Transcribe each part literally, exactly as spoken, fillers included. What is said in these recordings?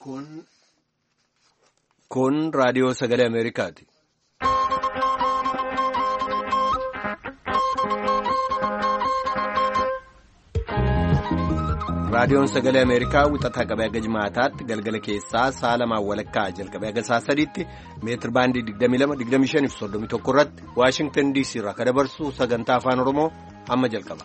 Kun kun raadiyoo sagalee Ameerikaati. Raadiyoon sagalee Ameerikaa wixataa qabee haga jimaataatti galgala keessaa sa'a lamaan walakkaa jalqabee haga sa'a sadiitti meetir baandii digdamii lama digdamii shanii fi soddomii tokko irratti Waashingtan D C irraa kan dabarsu sagantaa afaan Oromoo amma jalqaba.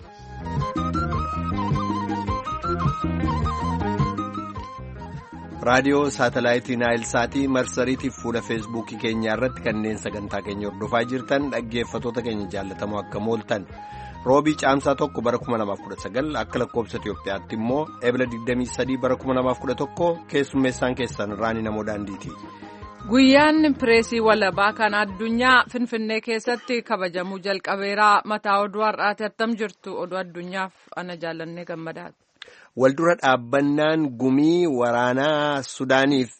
Raadiyoo saatalaayitii Naayil Saatii, marsariitiif fuula Feesbuukii keenyaa irratti kanneen sagantaa keenya hordofaa jirtan dhaggeeffatoota keenya jaallatamoo, akka mooltan? Roobii Caamsaa tokko bara kuma lamaaf kudha sagal, akka lakkoobsa Itiyoophiyaatti immoo Ebla digdamii sadii bara kuma lamaaf kudha tokko, keessummeessaan keessan Raanii Namoo Daandiiti. Guyyaan pireesii walabaa kan addunyaa Finfinnee keessatti kabajamuu jalqabeera. Mataa oduu har'aati. Attam jirtu? Oduu addunyaaf ana Jaallannee Gammadaati. Waldura dhaabbannaan gumii waraanaa Sudaaniif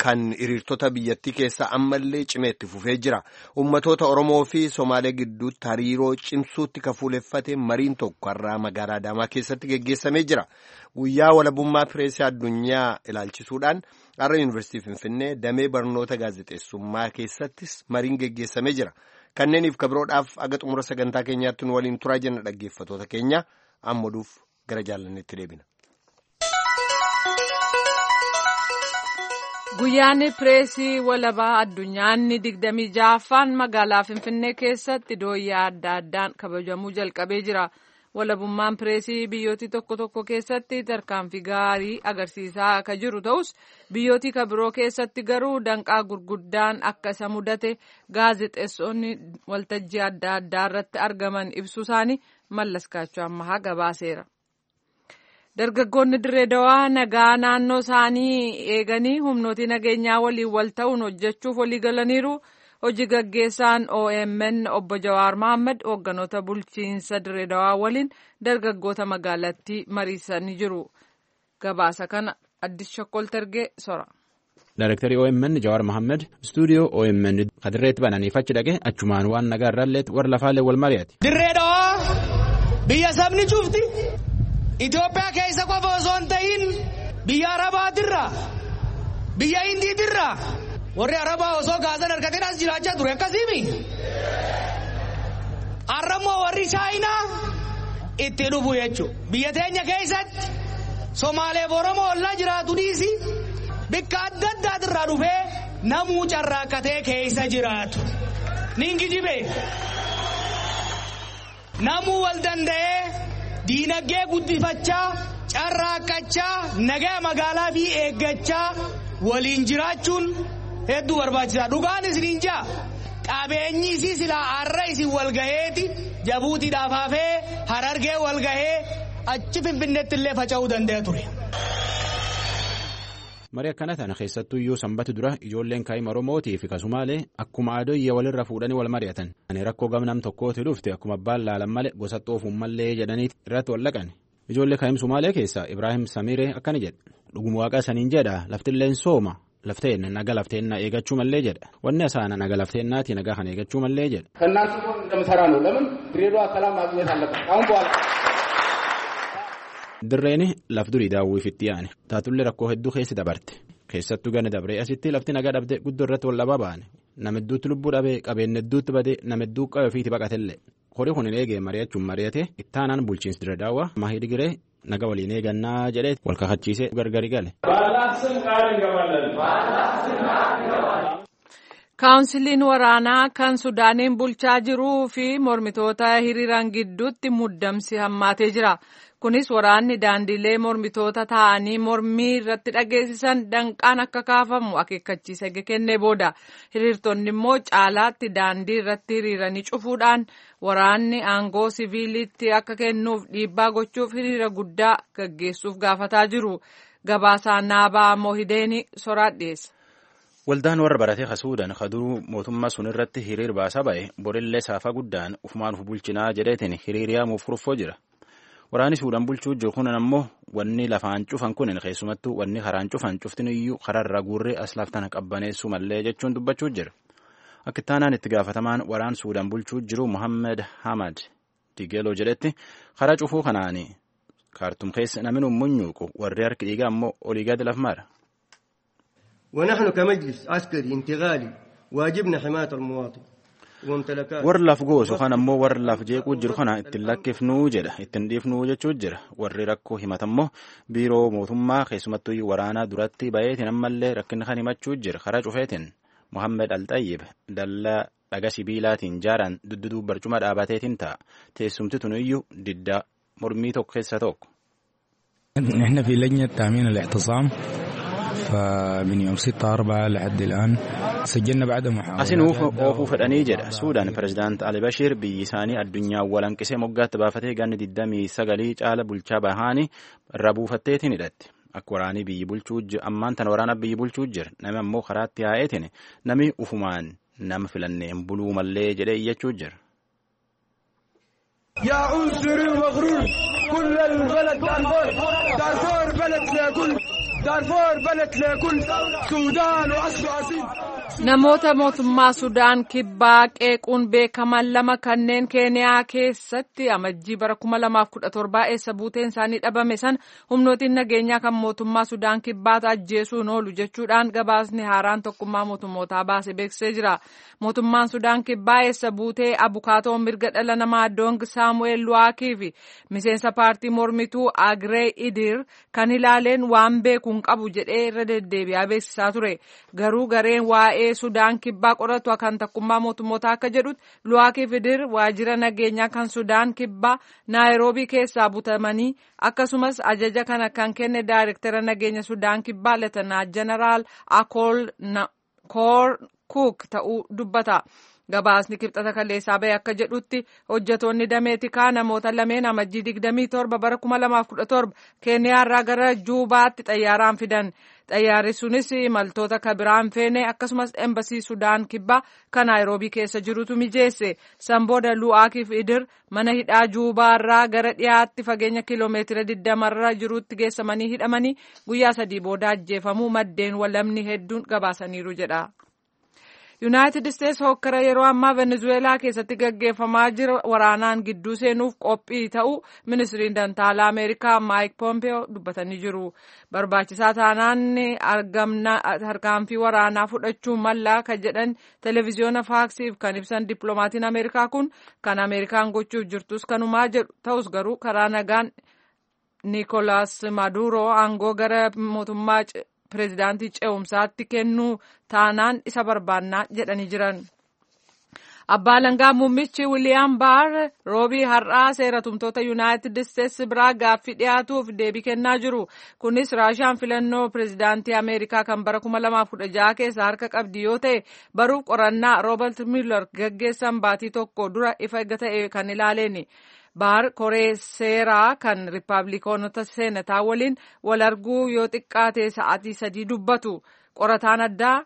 kan hiriirtota biyyattii keessaa ammallee cimee itti fufee jira. Uummatoota Oromoo fi Somaalee gidduutti hariiroo cimsuutti kan fuuleffate mariin tokko har'aa magaalaa Adaamaa keessatti geggeessamee jira. Guyyaa walabummaa pireesii addunyaa ilaalchisuudhaan har'a Yuunivarsiitii Finfinnee damee barnoota gaazexeessummaa keessattis mariin geggeessamee jira. Kanneeniif kabiroodhaaf aga xumura sagantaa keenyaatti nu waliin turaa jenna, dhaggeeffatoota keenya. Amma oduuf gara Jaallanneetti deebina. Guyyaan pireesii walabaa addunyaanni digdamii ja'affaan magaalaa Finfinnee keessatti dooyyaa adda addaan kabajamuu jalqabee jira. Walabummaan pireesii biyyooti tokko tokko keessatti tarkaanfii gaarii agarsiisaa akka jiru ta'us, biyyooti kan biroo keessatti garuu danqaa gurguddaan akka isa mudate gaazexeessonni waltajjii adda addaa irratti argaman ibsuu isaanii Mallas Kaachoo Ammahaa gabaaseera. Dargaggoonni Dirree Dawaa nagaa naannoo isaanii eeganii humnooti nageenyaa waliin wal ta'uun hojjechuuf walii galaniiru. Hojii gaggeessaan O M N obbo Jawaar Mohaammed hoogganoota bulchiinsa Dirree Dawaa waliin dargaggoota magaalattii mariisanii jiru. Gabaasa kana Addis Shokkol Tergee sora. Daarektarii O M N Jawaar Mohaammed istuudiyoo O M N kadirreetti bananiif achi dhaqe, achumaan waan nagaa irraallee warra lafaallee wal mari'ate. Dirree Dawaa biyya sabni cufti Itoophiyaa keessa qofa osoo hin ta'in biyya Arabaatirraa, biyya Hindiitirraa, warri Arabaa osoo gaasan argateen as jiraachaa ture akkasiimi. Har'ammoo warri Chaayinaa itti dhufu jechuudha. Biyya teenya keessatti Somaaleef Oromoo ollaa jiraatu dhiisi, bikka adda addaatirraa dhufee namuu carraaqqatee keessa jiraatu. Ningijibe. Namuu wal danda'ee diinagdee guddifachaa, carraaqqachaa, nagaa magaalaa fi eeggachaa waliin jiraachuun hedduu barbaachisaa. Dhugaan isiniin jaa, qabeenyi isii silaa har'a isin wal gaheeti Jabuutiidhaaf hafee Harargee wal gahee achi Finfinneetti illee faca'uu danda'a ture. Marii akkana tana keessattuu iyyuu sanbata dura ijoolleen kaa'ima Oromootii fi kasumaalee akkuma adoyya walirra fuudhanii wal mari'atan. Ani rakkoo gamnam tokkooti dhufte akkuma abbaan laalan malee gosa xoofuun mallee jedhanii irratti wal dhaqan. Ijoollee kaa'im Sumaalee keessaa Ibraahim Samiiree akkana jedha. Dhuguma waaqa saniin jedha, laftilleen sooma, lafteen naga lafteenna eegachuu mallee jedha. Wanni asaana naga lafteennaati, nagaa kana eegachuu mallee jedha. ከእናንተ ጎን እንደምሰራ ነው። ለምን ድሬዳዋ ሰላም ማግኘት አለበት አሁን በኋላ። Dirreen laf durii daawwiif itti yaane taatullee rakkoo hedduu keessa dabarte. Keessattuu gana dabree asitti lafti nagaa dhabde guddoo irratti wal dhabaa baane. Nama hedduutti lubbuu dhabee, qabeenya hedduutti badee, nama hedduu qabe ofiitti baqatellee. Horii kun hin eegee mari'achuun mari'ate ittaanaan bulchiinsi Dirree Daawwaa Mahii Giree naga waliin eegannaa jedhee wal kakachiisee gargari gale. Kaawunsiliin waraanaa kan Sudaaniin bulchaa jiruu fi mormitoota hiriiran gidduutti muddamsi hammaatee jira. Kunis waraanni daandilee mormitoota taa'anii mormii irratti dhageessisan danqaan akka kaafamu akeekkachiisa kennee booda. Hiriirtonni immoo caalaatti daandii irratti hiriiranii cufuudhaan waraanni aangoo siviilitti akka kennuuf dhiibbaa gochuuf hiriira guddaa gaggeessuuf gaafataa jiru. Gabaasaa Naabaa Mohideeni soraat dhiyeessa. Waldaan warra baratee Suudaan kaduruu mootummaa sun irratti hiriir baasaa ba'e borillee saafa guddaan ufumaan uf bulchinaa jedheetiin hiriir yaamuuf kurfoo jira. Waraanni Suudaan bulchuu jiru kunan ammoo wanni lafaan cufan kun, keessumattuu wanni karaan cufan cuftin iyyuu kararra guurree as laftan qabbaneessuu mallee jechuun dubbachuu jira. Akka ittaanaan itti gaafatamaan waraan Suudaan bulchuu jiru Muhammed Hamad Digeloo jedhetti, karaa cufuu kanaani Kaartum keessa namni munyuuqu warri harki dhiigaa ammoo olii gadi laf mara. ونحن كمجلس عسكري انتقالي واجبنا حماية المواطن. Warri laf goosu kan ammoo warri laf jeequu jiru kana ittiin lakkifnuu jedha, ittiin dhiifnuu jechuu jira. Warri rakkoo himatammoo biiroo mootummaa keessumattuu waraanaa duratti baheetiin ammallee rakkina kan himachuu jira karaa cufeetiin. Mohammed Alxayyib dallaa dhaga sibiilaatiin jaaran dudduduu barcuma dhaabateetiin ta'a. Teessumti tuniyyuu diddaa mormii tokko keessa tokko. نحن في لجنة تأمين الاعتصام فمن يوم ستة أربعة لحد الآن سجلنا بعد محاولات. Asinuuf oofuu fedhanii jedha. Suudaan pirezidaant Ali Bashiir biyyi isaanii addunyaa walanqisee moggaatti baafatee ganni digdamii sagalii caala bulchaa bahaanii irra buufatteetiin hidhatti. Akka waraanii biyyi bulchuu ammaan tana waraana biyyi bulchuu jira. Nami ammoo karaatti yaa'eetiin nami ufumaan nama filannee hin buluu mallee jedhee iyyachuu jira. يا عنصري المغرور كل البلد دارفور، دارفور بلد لكل، دارفور بلد لكل سودان وأصل أصيل. Namoota mootummaa Sudaan kibbaa qeequun beekaman lama kanneen Keeniyaa keessatti amajjii bara kuma lamaaf kudha torbaa eessa buuteen isaanii dhabame sana humnootiin nageenyaa kan mootummaa Sudaan kibbaata ajjeesuun oolu jechuudhaan gabaasni haaraan tokkummaa mootummootaa baase beeksisee jira. Mootummaan Sudaan kibbaa eessa buutee abukaatoo mirga dhala namaa Doong Saamu'eel Luwaakii fi miseensa paartii mormituu Agree Idir kan ilaaleen waan beeku hin qabu jedhee irra deddeebi'aa beeksisaa ture. Garuu gareen waa'ee Sudaan kibbaa qoratu kan tokkummaa mootummoota akka jedhutti Luwaakii Idir waajjira nageenyaa kan Sudaan kibbaa Naayiroobii keessaa butamanii akkasumas ajaja kana kan kenne daayirektara nageenya Sudaan kibbaa Leetanaa Jeneraal Akool Koor Kuuk ta'uu dubbata. Gabaasni kibxata kaleessaa bahe akka jedhutti hojjetoonni damee tikaa namoota lameen amajjii digdamii torba bara kuma lamaaf kudha torba Keeniyaarraa gara Juubaatti xayyaaraan fidan. Xayyaarri sunis imaltoota kabiraan feene akkasumas embasii Sudaan kibbaa kan Naayiroobii keessa jirutu mijeesse. San booda Lu'aakiif Idir mana hidhaa Juubaarraa gara dhiyaatti fageenya kiiloomeetira digdamarra jirutti geessamanii hidhamanii guyyaa sadii booda ajjeefamuu maddeen walamni hedduun gabaasaniiru jedha. Yuunaayitid Isteetsi hokkara yeroo ammaa Venezuelaa keessatti gaggeeffamaa jira waraanaan gidduu seenuuf qophii ta'uu ministiriin dantaalaa Ameerikaa Maayik Pompeo dubbatanii jiru. Barbaachisaa taanaan harkaanfii waraanaa fudhachuu mallaa kan jedhan televiziyoona faaksiif kan ibsan dippiloomaatiin Ameerikaa kun kan Ameerikaan gochuuf jirtus kanumaa jedhu ta'us garuu karaa nagaan Niikolaas Maaduroo aangoo gara mootummaa pireezidaantii ce'umsaatti kennuu taanaan isa barbaannaa jedhanii jiran. Abbaa Alangaa Muummichi Wiliyaam Baar roobii har'aa seera tumtoota Yuunaayitid Isteetsi biraa gaaffii dhiyaatuuf deebii kennaa jiru. Kunis Raashaan filannoo pireezidaantii Ameerikaa kan bara kuma lamaaf kudha jaha keessa harka qabdi yoo ta'e baruuf qorannaa Roobert Mueller gaggeessan baatii tokko dura ifa ta'e kan ilaaleeni. Baar koree seeraa kan riippaabilikoonota seenataa waliin wal arguu yoo xiqqaate sa'aatii sadii dubbatu. Qorataan addaa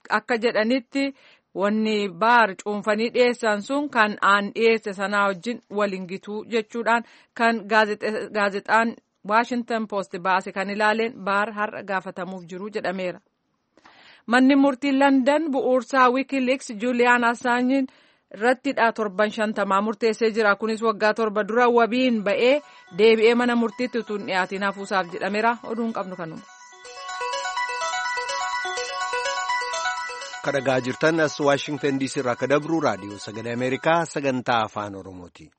akka jedhanitti wanni baar cuunfanii dhiyeessan sun kan aan dhiyeesse sanaa wajjin waliin gituu jechuudhaan kan gaazexaan Waashintan Poost baase kan ilaaleen baar har'a gaafatamuuf jiru jedhameera. Manni murtii London bu'uursaa Wikileaks Juuliyaan Assaanjiin irrattidha torban shantamaa murteessee jira. Kunis waggaa torba dura wabiin ba'ee deebi'ee mana murtiitti utuu hin dhiyaatiin hafuusaaf jedhameera. Oduun qabnu kanuma. Kan dhagaa jirtan as Waashingtan D C irraa akka dabru raadiyoo sagalee Ameerikaa sagantaa afaan Oromooti.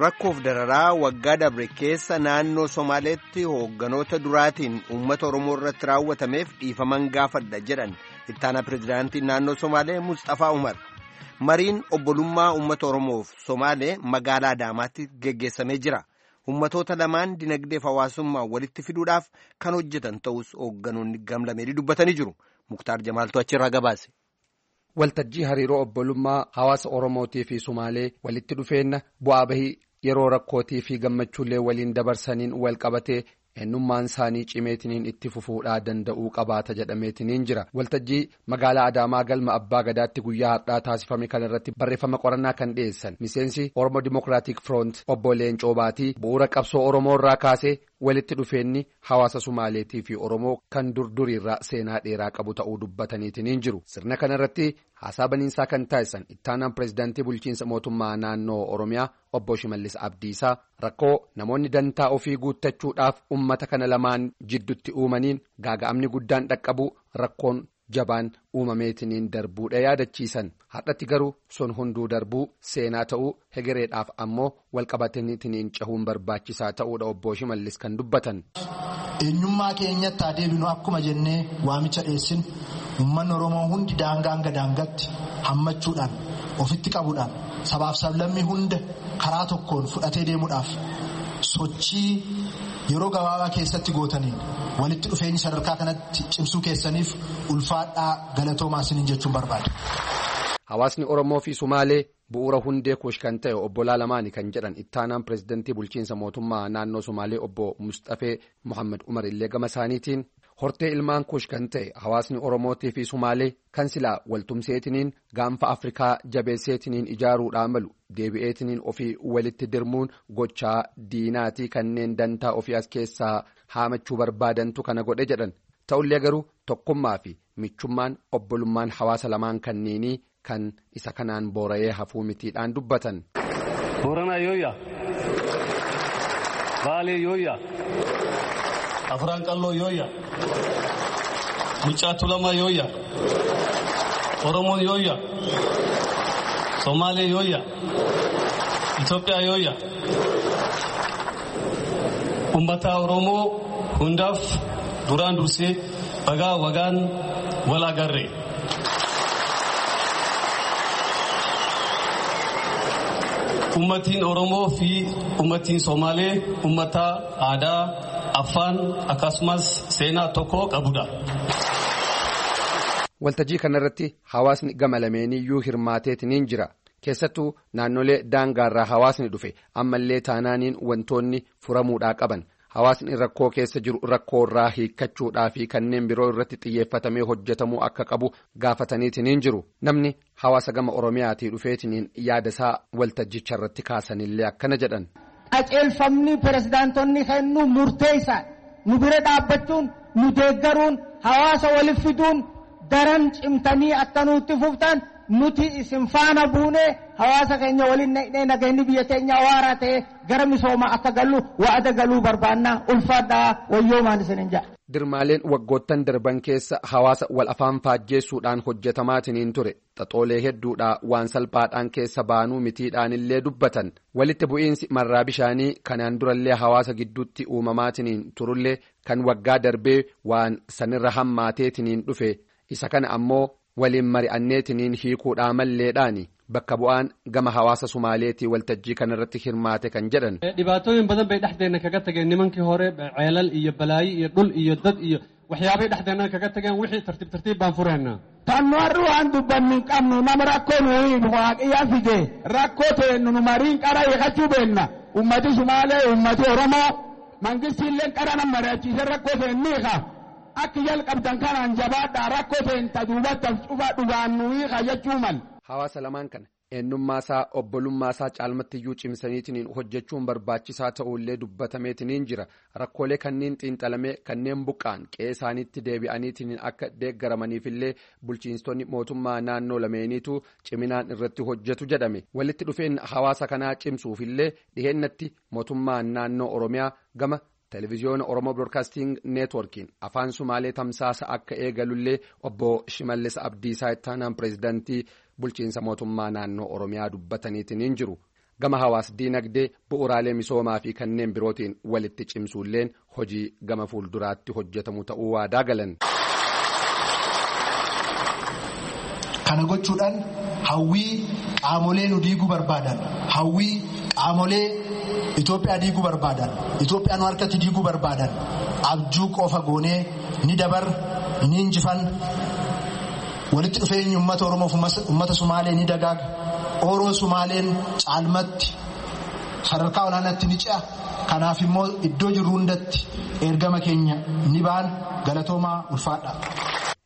Rakkoof dararaa waggaa dabre keessa naannoo Somaaleetti hoogganoota duraatiin uummata Oromoo irratti raawwatameef dhiifaman gaafadha jedhan ittaanaa pirezidaantii naannoo Somaalee Mustafaa Umar. Mariin obbolummaa uummata Oromoof Somaalee magaalaa Adaamaatti geggeessamee jira. Uummatoota lamaan dinagdeef hawaasummaa walitti fiduudhaaf kan hojjetan ta'us hoogganoonni gamlameenii dubbatanii jiru. Muktaar Jamaaltu achirraa gabaase. Waltajjii hariiroo obbolummaa hawaasa Oromootii fi Sumaalee walitti dhufeenna bu'aa bahii yeroo rakkootii fi gammachuullee waliin dabarsaniin wal qabatee eenyummaan isaanii cimeetiniin itti fufuudhaa danda'uu qabaata jedhameetiniin jira. Waltajjii magaalaa Adaamaa galma Abbaa Gadaatti guyyaa har'aa taasifame kanarratti barreeffama qorannaa kan dhiyeessan miseensi Oromoo Dimokiraatik Firoont obbo Leencoo Baatii bu'uura qabsoo Oromoo irraa kaasee Walitti dhufeenyi hawaasa Sumaaleetii fi Oromoo kan durduriirraa seenaa dheeraa qabu ta'uu dubbataniitiin jiru. Sirna kanarratti haasaa baniinsaa kan taasisan ittaanaan pireezidaantii bulchiinsa mootummaa naannoo Oromiyaa obbo Shimallis Abdiisaa rakkoo namoonni dantaa ofii guuttachuudhaaf uummata kana lamaan jidduutti uumaniin gaaga'amni guddaan dhaqqabu rakkoon jabaan uumameetiniin darbuudha yaadachiisan. Har'atti garuu sun hunduu darbuu seenaa ta'uu hegereedhaaf ammoo walqabataniitiniin cahuun barbaachisaa ta'uudha obbo Shimallis kan dubbatan. Eenyummaa keenyatti adeemnu akkuma jennee waamicha dhiyeessin uummanni Oromoo hundi daangaa hanga daangaatti hammachuudhaan ofitti qabuudhaan sabaaf sablammii hunda karaa tokkoon fudhatee deemuudhaaf sochii yeroo gabaabaa keessatti gootaniin walitti dhufeenyi sadarkaa kanatti cimsuu keessaniif ulfaadhaa galatoomaa isiniin jechuun barbaada. Hawaasni Oromoo fi Sumaalee bu'uura hundee kuush kan ta'e obbolaa lamaani kan jedhan ittaanaan pireezidantii bulchiinsa mootummaa naannoo Sumaalee obbo Mustafee Muhammad Umar illee gama isaaniitiin hortee ilmaan kuush kan ta'e hawaasni Oromootii fi Sumaalee kan silaa waltumseetiniin gaanfa Afrikaa jabeesseetiniin ijaaruudhaan malu deebi'eetiniin ofii walitti dirmuun gochaa diinaatii kanneen dantaa ofii as keessaa haamachuu barbaadantu kana godhe jedhan ta'ullee garuu tokkummaa fi michummaan obbolummaan hawaasa lamaan kanneenii kan isa kanaan boora'ee hafuu mitiidhaan dubbatan. Booranaa yooyyaa, Baalee yooyyaa, Afraan Qalloo yooyyaa, Muccaa Tulamaa yooyyaa, Oromoon yooyyaa, Somaalee yooyyaa, Itoophiyaa yooyyaa. Uummata Oromoo hundaaf duraan dursee bagaa wagaan wal agarre. Uummatiin Oromoo fi uummatiin Somaalee uummata aadaa, afaan akkasumas seenaa tokko qabudha. Waltajjii kanarratti hawaasni gama lameeniyyuu hirmaateetiniin jira. Keessattuu naannolee daangaarraa hawaasni dhufe ammallee taanaaniin wantoonni furamuudhaa qaban. Hawaasni rakkoo keessa jiru rakkoo irraa hiikkachuudhaa fi kanneen biroo irratti xiyyeeffatamee hojjetamuu akka qabu gaafataniitiniin jiru. Namni hawaasa gama Oromiyaatii dhufeetiniin yaadasaa waltajjicha irratti kaasanillee akkana jedhan. Qajeelfamni pirezidaantonni kennu murteessaadha. Nu bira dhaabbachuun, nu deeggaruun, hawaasa waliif fiduun daran cimtanii akka nutti fuftan nuti isin faana buunee hawaasa keenya waliin naqnee nageenyi biyya keenya waaraa ta'e gara misoomaa akka gallu wa'ada galuu barbaannaa ulfaadhaa wayyoomaan isinin jedha. Dirmaaleen waggoottan darban keessa hawaasa wal afaan faajjeessuudhaan hojjetamaatiniin ture xaxoolee hedduudhaa waan salphaadhaan keessa baanuu mitiidhaan illee dubbatan walitti bu'iinsi marraa bishaanii kanaan durallee hawaasa gidduutti uumamaatiniin turullee kan waggaa darbee waan sanirra hammaateetiniin dhufe isa kana ammoo waliin mari'anneetiniin hiikuudhaa malleedhaani bakka bu'aan gama hawaasa Sumaaleetii waltajjii kanarratti hirmaate kan jedhan. Dhibaatooyin badan bay dhexdeena kaga tageen nimankii hore ceelal iyo balaayi iyo dhul iyo dad iyo waxyaabay dhexdeena kaga tageen wixii tartiib tartiib baan fureenaa. Tannu har'u waan dubbannu hin qabnu nama rakkoo nu himu waaqiyyaa fide rakkoo teennu nu mariin qara hiikachuu beenna ummati Sumaalee ummati Oromoo mangistiilleen qara nama mari'achiise rakkoo teennu hiika. Akka jalqabdan kanaan jabaadhaa rakkoo teenta duubattaaf cufa dhugaan nu hiika jechuu mal. Hawaasa lamaan kana eenyummaasaa obbolummaa caalmattiyyuu cimsaniitiin hojjechuun barbaachisaa ta'ullee dubbatameetiniin jira. Rakkoolee kanneen xiinxalamee kanneen buqqaan qe'ee isaaniitti deebi'aniitiin akka deeggaramaniifillee bulchiinsonni mootummaa naannoo lameeniitu ciminaan irratti hojjetu jedhame. Walitti dhufeen hawaasa kanaa cimsuufillee dhiheennatti mootummaan naannoo Oromiyaa gama. Televiziyoona Oromoo Broadcasting Neetworkiin afaan Sumaalee tamsaasa akka eegalullee obbo Shimallis Abdiisaa ittaanaan pireezidantii bulchiinsa mootummaa naannoo Oromiyaa dubbataniitiin jiru. Gama hawaas diinagdee bu'uuraalee misoomaa fi kanneen birootiin walitti cimsuulleen hojii gama fuulduraatti hojjetamu ta'uu waadaa galan. Kana gochuudhaan hawwii qaamolee nu diiguu barbaadan hawwii qaamolee. Itoophiyaa diiguu barbaadan Itoophiyaa nu harkatti diiguu barbaadan abjuu qofa goonee ni dabar ni injifan walitti dhufeenyi uummata Oromoof uummata Sumaalee ni dagaaga Oromoo Sumaaleen caalmatti sadarkaa olaanaatti ni ce'a kanaaf immoo iddoo jirru hundatti ergama keenya ni baan galatoomaa ulfaadha.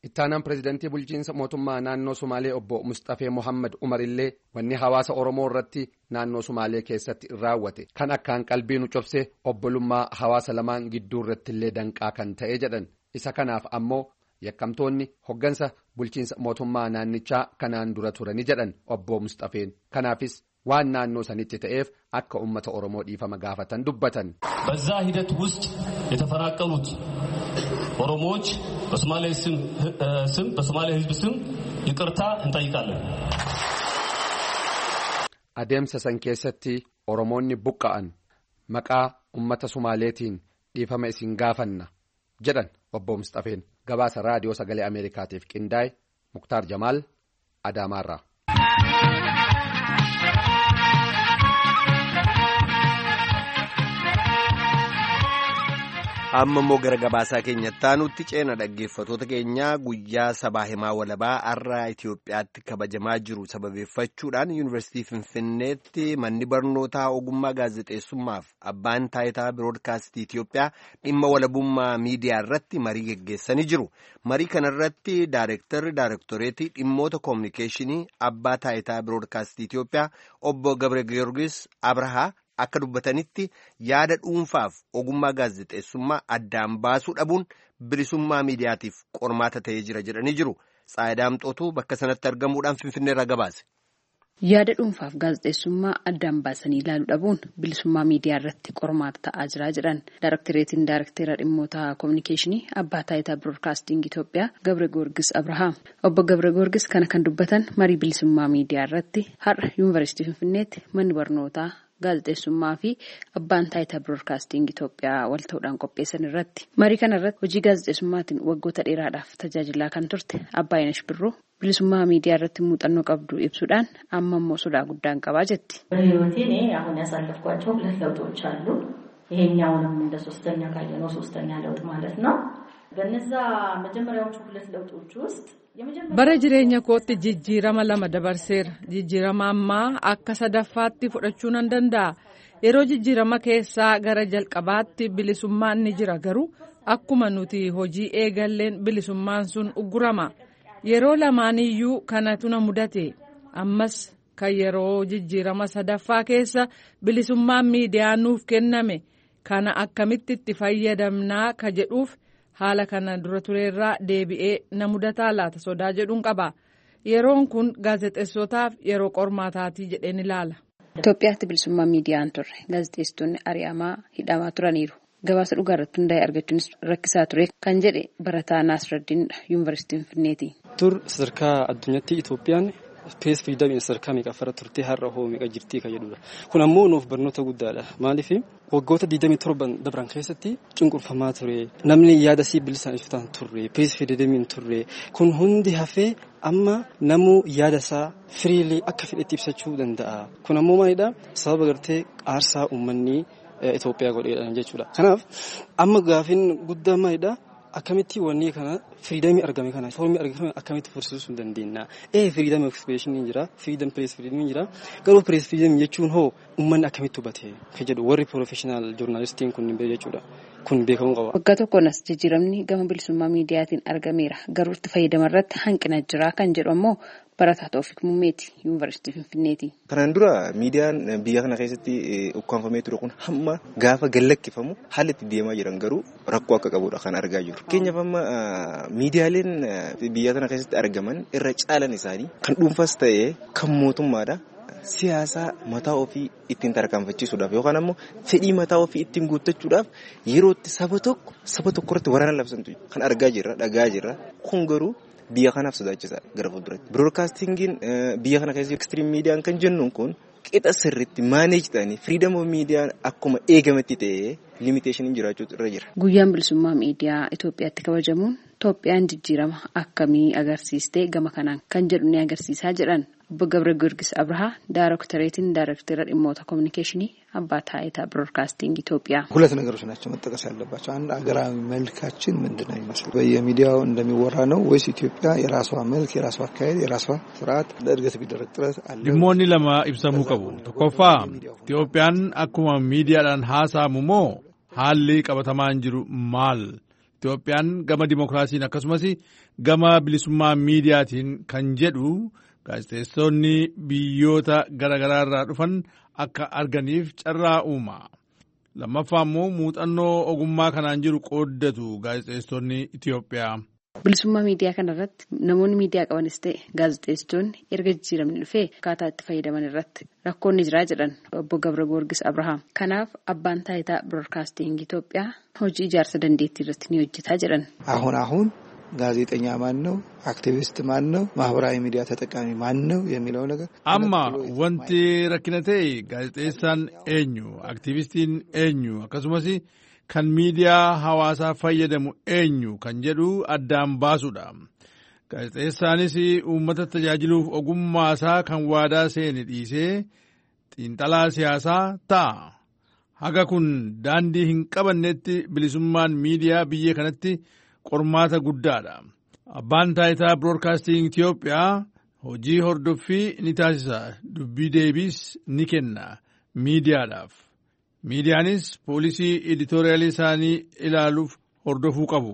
Ittaanaan pireezidantii bulchiinsa mootummaa naannoo Sumaalee obbo Mustafee Mohaammed Umar illee wanni hawaasa Oromoo irratti naannoo Sumaalee keessatti raawwate kan akkaan qalbii nu cobse obbolummaa hawaasa lamaan gidduu irratti illee danqaa kan ta'e jedhan. Isa kanaaf ammoo yakkamtoonni hoggansa bulchiinsa mootummaa naannichaa kanaan dura turani jedhan obbo Mustafeen. Kanaafis waan naannoo sanitti ta'eef akka uummata Oromoo dhiifama gaafatan dubbatan. በዛ ሂደት ውስጥ የተፈናቀሉት ኦሮሞዎች በሶማሌ ስም በሶማሌ ሕዝብ ስም ይቅርታ እንጠይቃለን። Adeemsa san keessatti Oromoonni buqqa'an maqaa uummata Sumaaleetiin dhiifama isin gaafanna jedhan obbo Mustafeen. Gabaasa raadiyoo sagalee Ameerikaatiif qindaa'e Muktaar Jamaal Adaamaarraa. Amma immoo gara gabaasaa keenyatti aanutti ceena. Dhaggeeffatoota keenyaa, guyyaa sabaa himaa walabaa har'a Itoophiyaatti kabajamaa jiru sababeeffachuudhaan Yuunivarsiitii Finfinneetti manni barnootaa ogummaa gaazexeessummaaf abbaan taayitaa biroodkaastii Itoophiyaa dhimma walabummaa miidiyaa irratti marii geggeessanii jiru. Marii kanarratti daareektarri daareektoreetii dhimmoota koominikeeshinii abbaa taayitaa biroodkaastii Itoophiyaa obbo Gabre Giyoorgis Abrahaa akka dubbatanitti, yaada dhuunfaaf ogummaa gaazexeessummaa addaan baasuu dhabuun bilisummaa miidiyaatiif qormaata ta'ee jira jedhanii jiru. Tsaayidaa Amxootuu bakka sanatti argamuudhaan Finfinneerraa gabaase. Yaada dhuunfaaf gaazexeessummaa addaan baasanii ilaaluu dhabuun bilisummaa miidiyaa irratti qormaata ta'aa jira jedhan Daarektareetiin Daarektara dhimmoota koominikeeshinii abbaa taayitaa biroodkaasting Itoophiyaa Gabre Goorgis Abrahaam. Obbo Gabre Goorgis kana kan dubbatan marii bilisummaa miidiyaa irratti har'a Yuunivarsiitii Finfinneetti manni barnootaa gaazexeessummaa fi abbaan taayitaa biroodkaasting Itoophiyaa wal ta'uudhaan qopheessan irratti. Marii kana irratti hojii gaazexeessummaatiin waggoota dheeraadhaaf tajaajilaa kan turte Abbaayinash Birruu bilisummaa miidiyaa irratti muuxannoo qabdu ibsuudhaan amma immoo sodaa guddaan qabaa jetti. በህይወቴ እኔ አሁን ያሳለፍኳቸው ሁለት ለውጦች አሉ። ይሄኛውንም እንደ ሶስተኛ ካየነው ሶስተኛ ለውጥ ማለት ነው። በነዛ መጀመሪያዎቹ ሁለት ለውጦች ውስጥ Bara jireenya kootti jijjiirama lama dabarseera. Jijjiirama ammaa akka sadaffaatti fudhachuu nan danda'a. Yeroo jijjiirama keessaa gara jalqabaatti bilisummaan ni jira, garuu akkuma nuti hojii eegalleen bilisummaan sun uggurama. Yeroo lamaaniyyuu kanatu na mudate. Ammas kan yeroo jijjiirama sadaffaa keessa bilisummaan miidiyaa nuuf kenname kana akkamitti itti fayyadamnaa ka jedhuuf haala kana dura tureerraa deebi'ee na mudataa laata sodaa jedhuun qaba. Yeroon kun gaazexeessotaaf yeroo qormaataatii jedheen ilaala. Itoophiyaatti bilisummaa miidiyaan turre gaazexeessitoonni ari'amaa hidhamaa turaniiru. Gabaasa dhugaa irratti hundaa'e argachuunis rakkisaa ture kan jedhe barataa Naasraddiinidha Yuunivarsiitii Finfinneeti. Tur sadarkaa addunyaatti Itoophiyaan press freedomiin sadarkaa meeqaffaarra turtee har'a hoo meeqa jirtii kan jedhudha. Kun ammoo nuuf barnoota guddaadha. Maaliif waggoota digdamii torban dabran keessatti cunqurfamaa ture. Namni yaada sii bilisaan ibsataan turre. Press freedomiin turre. Kun hundi hafee amma namuu yaada isaa freely akka fedhetti ibsachuu danda'a. Kun ammoo maalidhaa? Sababa gartee aarsaa uummanni Itoophiyaa godheedhaan jechuudha. Kanaaf amma gaafiin guddaan maalidhaa? Akkamitti wanni kana freedomii argame kana formii argame akkamitti fursiisuu dandeenya? Ee, freedom of expression jira, freedom press freedom jira. Garuu press freedom jechuun hoo uummanni akkamitti hubate kan jedhu warri professional journalistiin kun hin jechuudha. Kun beekamuu qaba. Waggaa tokkoon as jijjiiramni gama bilisummaa miidiyaatiin argameera. Garuu itti fayyadama irratti hanqina jira kan jedhu ammoo barataa Toofiq Mummeeti Yuunivarsiitii Finfinneeti. Kanaan dura miidiyaan biyya kana keessatti ukkaanfamee ture kun hamma gaafa gallakkifamu haalli itti deemaa jiran garuu rakkoo akka qabudha kan argaa jirru. Fakkeenyaaf amma miidiyaaleen biyya kana keessatti argaman irra caalan isaanii kan dhuunfaas ta'ee kan mootummaadha. Siyaasa mataa ofii ittiin tarkaanfachiisuudhaaf yookaan ammoo fedhii mataa ofii ittiin guuttachuudhaaf yeroo itti saba tokko saba tokko irratti waraana labsantu kan argaa jirra, dhagaa jirra. Kun garuu biyya kanaaf sodaachisaadha gara fuulduratti. Biroodkaastingiin biyya kana keessatti ekstiriim miidiyaan kan jennuun kun qixa sirriitti manage ta'anii freedom of miidiyaan akkuma eegametti ta'ee limiteeshiniin jiraachuutu irra jira. Guyyaan bilisummaa miidiyaa Itoophiyaatti kabajamuun Itoophiyaan jijjiirama akkamii agarsiistee gama kanaan kan jedhu ni agarsiisaa jedhan obbo Gabre Giyoorgis Abrahaa, Daaroktareetiin Daarektara dhimmoota koominikeeshinii abbaa taayitaa ብሮድካስቲንግ ኢትዮጵያ። ሁለት ነገሮች ናቸው መጠቀስ ያለባቸው። አንድ አገራዊ መልካችን ምንድን ነው የሚመስለው? በየሚዲያው እንደሚወራ ነው ወይስ ኢትዮጵያ የራሷ መልክ፣ የራሷ አካሄድ፣ የራሷ ስርዓት ለእድገት ቢደረግ ጥረት አለ? Dhimmoonni lama ibsamuu qabu. Tokkoffaa, Itoophiyaan akkuma miidiyaadhaan haasa'amu moo haalli qabatamaan jiru maal? Itoophiyaan gama dimookiraasiin akkasumas gama bilisummaa miidiyaatiin kan jedhu gaazexeessonni biyyoota garaagaraa irraa dhufan akka arganiif carraa uuma. Lammaffaa immoo muuxannoo ogummaa kanaan jiru qooddatu gaazexeessonni Itoophiyaa. Bilisummaa miidiyaa kanarratti namoonni miidiyaa qabanis ta'e gaazexeessitoonni erga jijjiiramni dhufee akkaataa itti fayyadaman irratti rakkoon ni jiraa jedhan obbo Gabra Goorgis Abrahaam. Kanaaf abbaan taayitaa biroodkaastiin Itoophiyaa hojii ijaarsa dandeettii irratti ni hojjetaa jedhan. አሁን አሁን ጋዜጠኛ ማን ነው፣ አክቲቪስት ማን ነው፣ ማህበራዊ ሚዲያ ተጠቃሚ ማን ነው የሚለው ነገር Amma wanti rakkina ta'e gaazexeessaan eenyu, aktiivistiin eenyu akkasumas kan miidiyaa hawaasaa fayyadamu eenyu kan jedhu addaan baasudha. Gaazexeessaanis uummata tajaajiluuf ogummaasaa kan waadaa seene dhiisee xiinxalaa siyaasaa ta'a. Haga kun daandii hin qabannetti bilisummaan miidiyaa biyya kanatti qormaata guddaadha. Abbaan taayitaa biroodkaastiin Itoophiyaa hojii hordoffii ni taasisa, dubbii deebiis ni kenna miidiyaadhaaf. Miidiyaanis poolisii editooriyaalii isaanii ilaaluuf hordofuu qabu.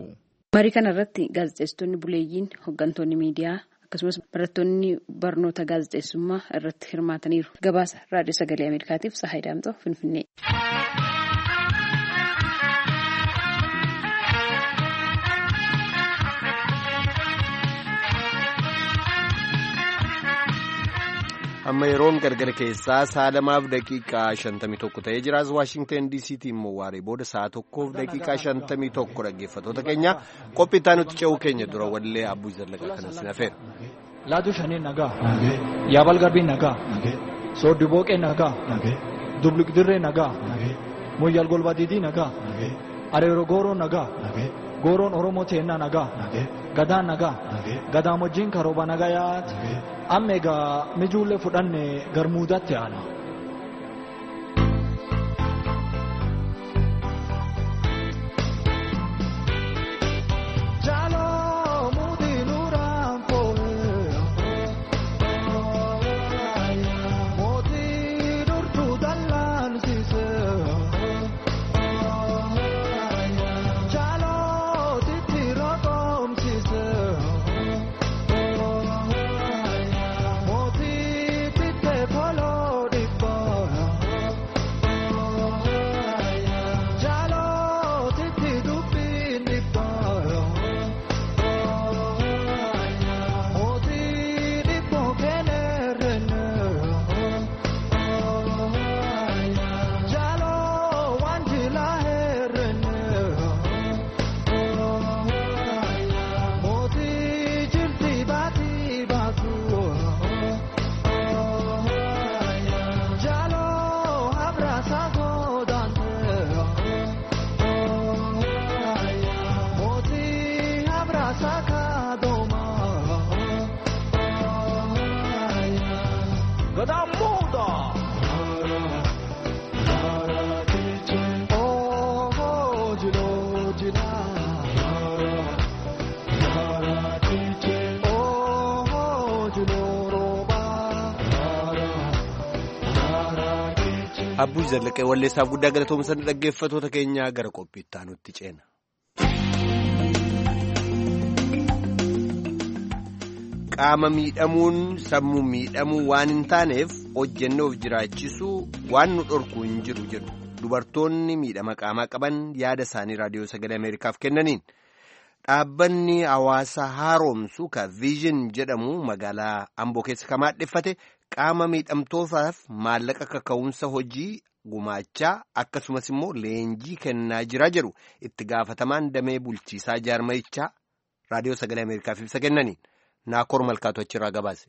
Marii kana irratti gaazexeessitoonni buleeyyiin, hooggantoonni miidiyaa akkasumas barattoonni barnoota gaazexeessummaa irratti hirmaataniiru. Gabaasa Raadiyoo Sagalee Ameerikaatiif Sahaay Daamxoo Finfinnee. Amma yeroon gargara keessaa sa'a lamaaf daqiiqaa shantamii tokko ta'ee jira. As Waashingtan D C'tti immoo waaree booda sa'a tokkoof daqiiqaa shantamii tokko. Dhaggeeffattoota keenya, qophii itti aanutti ce'uu keenya dura wallee Abbuu Zallaqaa kanas nafeera. Laatu shanii nagaa. Yaabal garbii nagaa. Sooddi booqee nagaa. Dubluq dirree nagaa. Moyyal golba diidii nagaa. Areero gooroo nagaa. Gooroon Oromoo teennaa nagaa. Gadaan nagaa. Gadaamojjiin karooba nagaa yaati. Amma egaa mijuullee fudhanne garmuudatti aana. Abbuu Zallaqee walleessaaf guddaa galatoomsan. Dhaggeeffattoota keenyaa, gara qophii itti aanutti ceena. Qaama miidhamuun sammuu miidhamuu waan hin taaneef hojjennoof jiraachisuu waan nu dhorku hin jiru jedhu dubartoonni miidhama qaamaa qaban yaada isaanii Raadiyoo Sagalee Ameerikaaf kennaniin. Dhaabbanni hawaasa haaromsu ka Vision jedhamu magaalaa Amboo keessa kan maadheffate qaama miidhamtootaaf maallaqa kaka'umsa hojii gumaachaa akkasumas immoo leenjii kennaa jira jedhu itti gaafatamaan damee bulchiisaa jaarmayichaa Raadiyoo Sagalee Ameerikaaf ibsa kennaniin. Naakoor Malkaatu achirraa gabaase.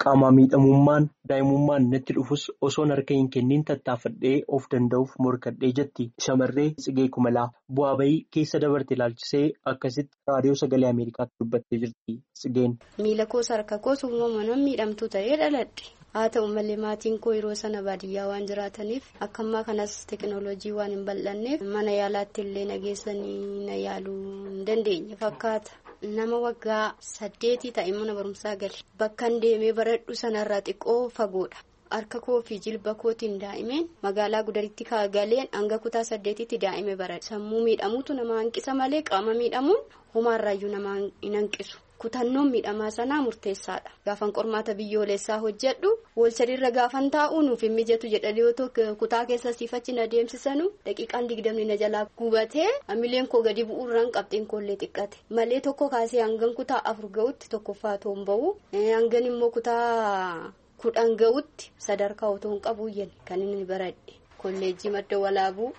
Qaama miidhamummaan daa'imummaan natti dhufus osoon harka hin kenniin tattaafadhee of danda'uuf morkadhee jetti shamarree Tsigee Kumalaa. Bu'aa bayii keessa dabarte ilaalchisee akkasitti Raadiyoo Sagalee Ameerikaatti dubbattee jirti Tsigeen. Miila koos harka koos uumamaan miidhamtuu ta'ee dhaladhe. Haa ta'u malee maatiin koo yeroo sana baadiyyaa waan jiraataniif akka ammaa kanas teekinooloojii waan hin bal'anneef mana yaalaatti illee na geessanii na yaaluu hin dandeenye fakkaata. Nama waggaa saddeetii ta'e mana barumsaa gale. Bakkan deemee baradhu sanarraa xiqqoo fagoodha. Harka koo fi jilba kootiin daa'imeen magaalaa Gudaritti galeen hanga kutaa saddeetitti daa'ime baradhe. Sammuu miidhamuutu nama hanqisa malee qaama miidhamuun homaarraayyuu nama hin hanqisu. Kutannoon miidhamaa sanaa murteessaadha. Gaafan qormaata biyyoolessaa hojjedhu wal-sadiirra gaafan taa'u nuuf hin mijatu jedhanii otoo kutaa keessa siifachi na deemsisanu daqiiqaan digdamni na jalaa gubatee hamileen koo gadi bu'uurraan qabxiin koollee xiqqate malee tokko kaasee hangan kutaa afur ga'utti tokkoffaa otoo hin ba'u hangan immoo kutaa kudhan ga'utti sadarkaa otoo hin qabu kan inni baradhe kolleejjii madda walaabuu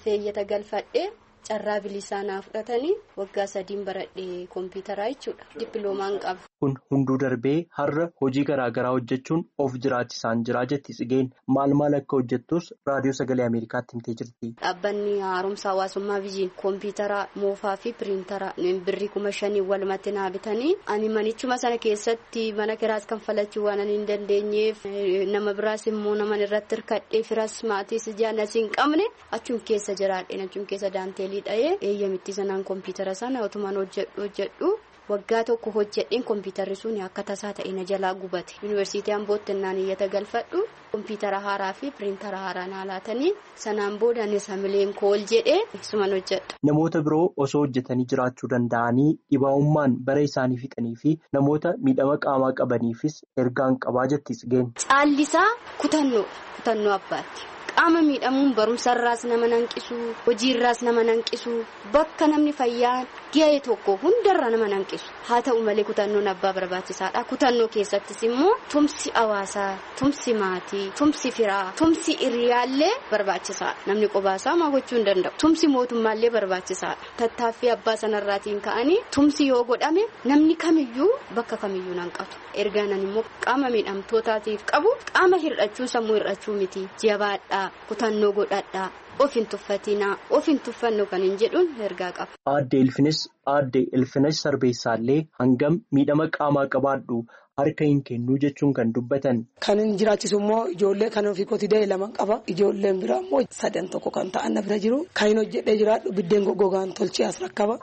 feeyyata galfadhe. Carraa bilisaa naa fudhatanii waggaa sadiin baradhe kompiitaraa jechuudha. Dippiloomaan qaba. Kun hunduu darbee har'a hojii garaa garaa hojjechuun of jiraachisaan jira jetti Tsigeen. Maal maal akka hojjettus raadiyoo sagalee Ameerikaatti himtee jirti. Dhaabbanni haaromsa hawaasummaa Viijin kompiitara moofaa fi piriintara birrii kuma shanii walumatti naa bitanii ani manichuma sana keessatti mana kiraas kanfalachuu waan ani hin dandeenyeef nama biraas immoo nama irratti hirkadhee firas maatiis jaanas hin qabne achum keessa jiraadhe achum keessa daantee. Dha'ee eeyyamitti sanaan kompiitara sana otumaan hojjedhu hojjedhu waggaa tokko hojjedheen kompiitarri sun akka tasaa ta'e na jalaa gubate yuunivarsiitii Ambootti naan iyyata galfadhu kompiitara haaraa fi piriintara haaraa naa laatanii sanaan booda anis hamileen kool jedhee suman hojjedha. Namoota biroo osoo hojjetanii jiraachuu danda'anii dhibaa'ummaan bara isaanii fixanii fi namoota miidhama qaamaa qabaniifis ergaan qabaa jetti Tsigeen. Caallisaa kutannoo kutannoo abbaatti. Qaama miidhamuun barumsarraas nama nanqisu hojiirraas nama nanqisu bakka namni fayyaan ga'e tokko hundarra nama nanqisu haa ta'u malee kutannoon abbaa barbaachisaadha. Kutannoo keessattis immoo tumsi hawaasaa, tumsi maatii, tumsi firaa, tumsi hiriyaallee barbaachisaadha. Namni qobaasaa maa gochuu hin danda'u. Tumsi mootummaallee barbaachisaadha. Tattaaffii abbaa sanarraatiin ka'anii tumsi yoo godhame namni kamiyyuu bakka kamiyyuu nanqatu. Ergaanan immoo qaama miidhamtootaatiif qabu qaama hir'achuu sammuu hir'achuu miti jabaadha. Kutannoo godhadhaa of hin tuffatinaa of hin tuffannu kan hin jedhuun ergaa qaba. Aadde Ilfinis Aadde Ilfinesh Sarbeessaallee hangam miidhama qaamaa qabaadhu harka hin kennuu jechuun kan dubbatan. Kan hin jiraachisu immoo ijoollee kan ofii kooti da'e lama qaba. Ijoolleen biraa immoo sadan tokko kan ta'an na bira jiru. Kan hin hojjedhee jiraadhu biddeen goggogaan tolchee as rakkaba.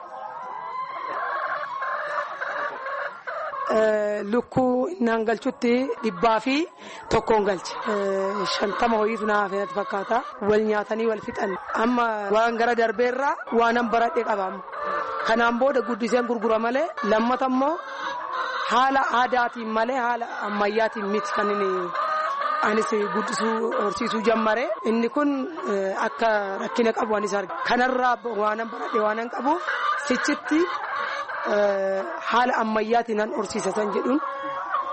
Lukkuu innaan galchutti dhibbaa fi tokkoon galche. Shantama ho'iitu naa hafe natti fakkaata. Wal nyaatanii wal fixan. Amma waan gara darbeerraa waanan baradhe qaba. Kanaan booda guddiseen gurgura malee lammata immoo haala aadaatiin malee haala ammayyaatiin miti kan inni anis guddisuu horsiisuu jammare. Inni kun akka rakkina qabu anis arga. Kanarraa waanan baradhe waanan qabu sichitti. Haala ammayyaatiin nan horsiisatan jedhuun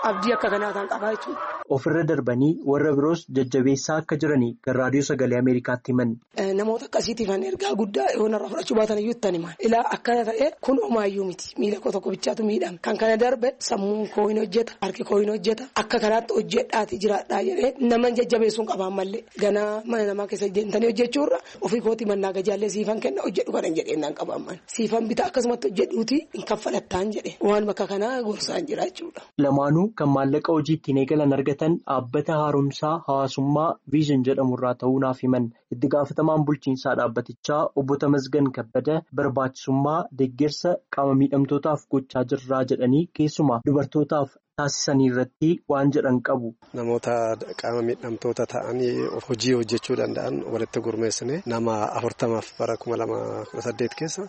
abdii akka kanaa kan qabaa jechuudha. Ofirra darbanii warra biroos jajjabeessaa akka jiranii kan raadiyoo sagalee Ameerikaatti himan. Namoota akkasiitiif an ergaa guddaa yoo narraa fudhachuu baatan iyyuu itti himan. Ilaa akkana ta'e kun homaayyuu miti. Miila koo tokko bichaatu miidhama. Kan kana darbe sammuun koo hin hojjeta. Harki koo hin hojjeta. Akka kanaatti hojjedhaati jiraadhaa jedhee nama jajjabeessuun qabaan mallee. Ganaa mana namaa keessa deemtanii hojjechuurra ofii kootii mannaa gajaallee siifan kenna hojjedhu kanan jedhee naan qabaan mana. Siifan bitaa akkasumatti hojjedhuuti hin kaffalattaan jedhe. Waan bakka kanaa gorsaan jira jechuudha. Lamaanuu kan maallaqa hojii ittiin eegalan argatan dhaabbata haaromsaa hawaasummaa viizhin jedhamu irraa ta'uu naaf himan. Itti gaafatamaan bulchiinsaa dhaabbatichaa obbo Tamasgan Kabbada barbaachisummaa deeggarsa qaama miidhamtootaaf gochaa jirraa jedhanii keessumaa dubartootaaf taasisanii irratti waan jedhan qabu. Namoota qaama miidhamtoota ta'anii hojii hojjechuu danda'an walitti gurmeessine nama afurtamaaf bara kuma lama kudha saddeet keessa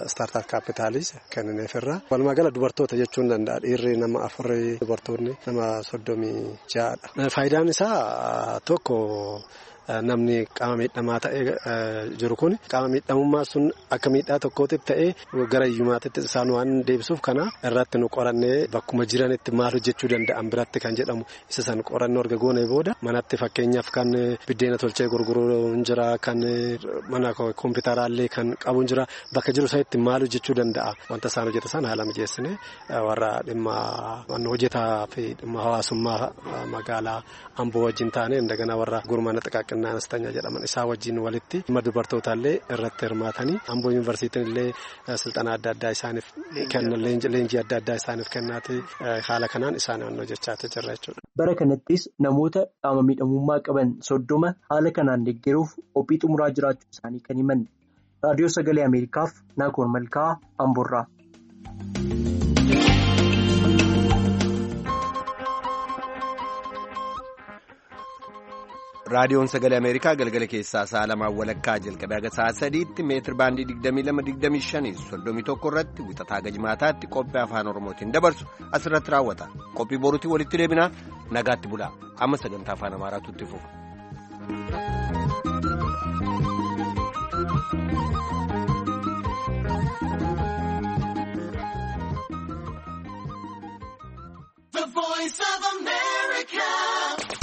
istaartaap kaapitaalis kennineefirra. Walumaa gala dubartoota jechuun danda'a. Dhiirri nama afurii dubartoonni nama soddomii ja'adha. Faayidaan isaa tokko. Namni qaama miidhamaa ta'ee jiru kun qaama miidhamummaa sun akka miidhaa tokkootti ta'ee gara hiyyummaatti isaan waan deebisuuf kana irratti nu qorannee bakkuma jiranitti maal hojjechuu danda'an biratti kan jedhamu isa san qorannoo erga goone booda manatti fakkeenyaaf kan biddeena tolchee gurguruu hin jira kan mana kompiitaraallee kan qabu hin jira bakka jiru sanitti maal hojjechuu danda'a wanta isaan hojjetan sana haala mijeessine warra dhimma hojjetaa fi dhimma hawaasummaa magaalaa Amboo wajjin taane indagana warra gurmaana xiqaaqin. Naannoo jedhaman isaa wajjin walitti dhimma dubartootaallee irratti hirmaatanii Amboo yuunivarsiitiin illee silxanaa adda addaa isaaniif kenna leenjii adda addaa isaaniif kennaati haala kanaan isaan hojjechaa jirra jechuudha. Bara kanattis namoota qaama miidhamummaa qaban soddoma haala kanaan deeggaruuf qophii xumuraa jiraachuu isaanii kan himan. Raadiyoo Sagalee Ameerikaaf Naakoor Malkaa Amboorraa. Raadiyoon Sagalee Ameerikaa galgala keessaa sa'a lamaan walakkaa jalqabee haga sa'a sadiitti meetir baandii digdamii lama digdamii shanii soddomii tokko irratti wixataa haga jimaataatti qophii afaan Oromootiin dabarsu asirratti raawwata. Qophii boruutiin walitti deebinaa nagaatti bulaa. Amma sagantaa afaan Amaaraatu itti fufa. The Voice of America.